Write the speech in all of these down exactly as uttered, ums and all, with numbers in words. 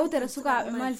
Yewtere sukaaɓe Mali.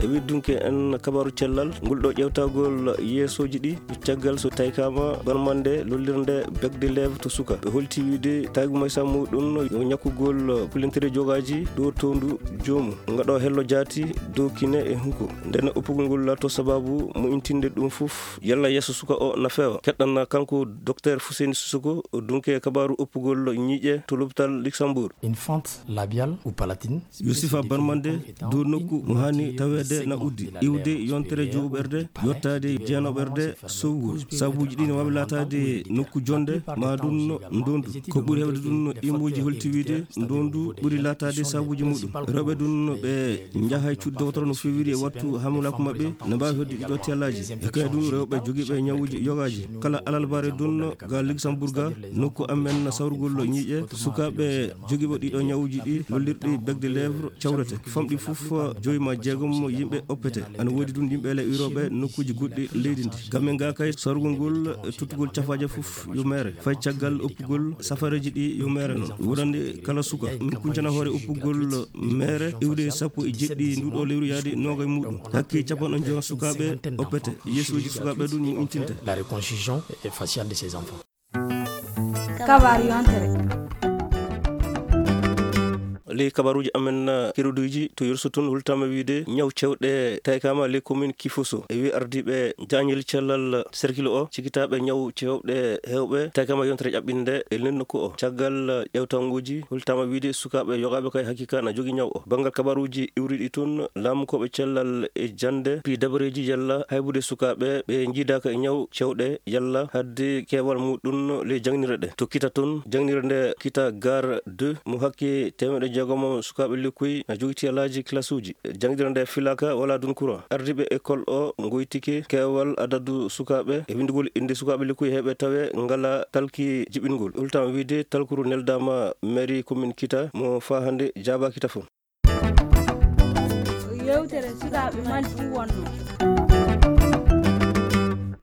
E wirdunke en kabaaru cellal, ngol ɗo ƴeewtagol yeesooji ɗi, caggal so tawkaama barmande lollirde Bec de Lèvres to suka. Ɓe holti wiide tawgu maysa muɗum yo ñakkugol pulentere jogaaji dow towndu joomu. Ngaɗo hello jaati dow kine e hunko. Nden oppugol ngol laatoo sababu mo intinde ɗum fof. Yalla yeeso suka o na feewa. Keɗɗan kanko Docteur Fousseyni Sissoko, dunke kabaaru oppugol ñiiƴe to l'hôpital Luxembourg. Une fente labiale ou palatine. Yo sifa barmande dow nokku mo haani taweede na uddi, iwde yontere juuɓerde, yottaade jeenooɓerde sowgol. Sabuuji ɗi ne waawi laataade nokku jonde, ma ɗum ndondu. Ko ɓuri heewde ɗum, ɗimooji holti wiide ndondu ɓuri laataade sabuuji muɗum. Rewɓe ɗum ɓe njahay cuuɗi dowtoro no feewiri e wattu hamulaaku maɓɓe, ne mbaawi hedde ɗiɗo tiyalaaji. E kay ɗum rewɓe jogiiɓe ñawuuji yogaaji. Kala alarba ɗum ga Luxembourg ga, nokku amen sawrugol ñiiƴe, sukaaɓe jogiiɓe ɗiɗo ñawuuji ɗi lollirɗi Bec de Lèvres cawrete. Famɗi fof joyi ma jeegom yimɓe oppete. Ana woodi ɗum yimɓe le iwrooɓe nokkuuji goɗɗi leydi ndi. Gamen ga kay sawrugol ngol, tottugol cafaaje fof yo meere. Fay caggal oppugol safareeji ɗi yo meere noon. Wonande kala suka, min kuncana hoore oppugol meere iwde sappo e jeɗɗi nduɗo lewru yaade noogay muɗum. Hakke capanɗe joyi sukaaɓe oppete. Yeesooji sukaaɓe ɗum mo intinta. La reconstruction faciale de ces enfants. Kabaaru yontere. Ley kabaaruuji amen, uh, keruduuji to Yurso tun, hultama wiide ñaw cewɗe tawkaama ley commune Kifoso. E wi ardiiɓe jaañel cellal cercle o, cikitaaɓe ñaw cewɗe heewɓe tawkaama yontere ƴaɓɓinde e nden nokku o. Caggal, uh, ƴewtanguuji, hultama wiide sukaaɓe yogaaɓe kay hakiika na jogi ñaw o. Banngal kabaaruuji iwriɗi tun, laamukooɓe cellal e jannde, pii dabareeji yalla haybude sukaaɓe ɓe njiidaaka e ñaw cewɗe yalla hadde keewal muɗum ley jaŋnirɗe ɗe. To Kita tun, jaŋnirɗe nde Kita Gare deux mo hakke teemeɗɗe jeegom sukaaɓe lekkuy na jogi tiyalaaji classe uji. Jaŋnirɗe nde filaaka wala dun courant. Ardiiɓe école o ngoytike keewal adadu sukaaɓe e winndugol innde sukaaɓe lekkuy heɓe tawe ngala talki jiɓingol. Hultama wiide talkuru neldaama mairie commune Kita mo faa hannde jaabaaki tafon. Yewtere sukaaɓe Mali fuu wonno.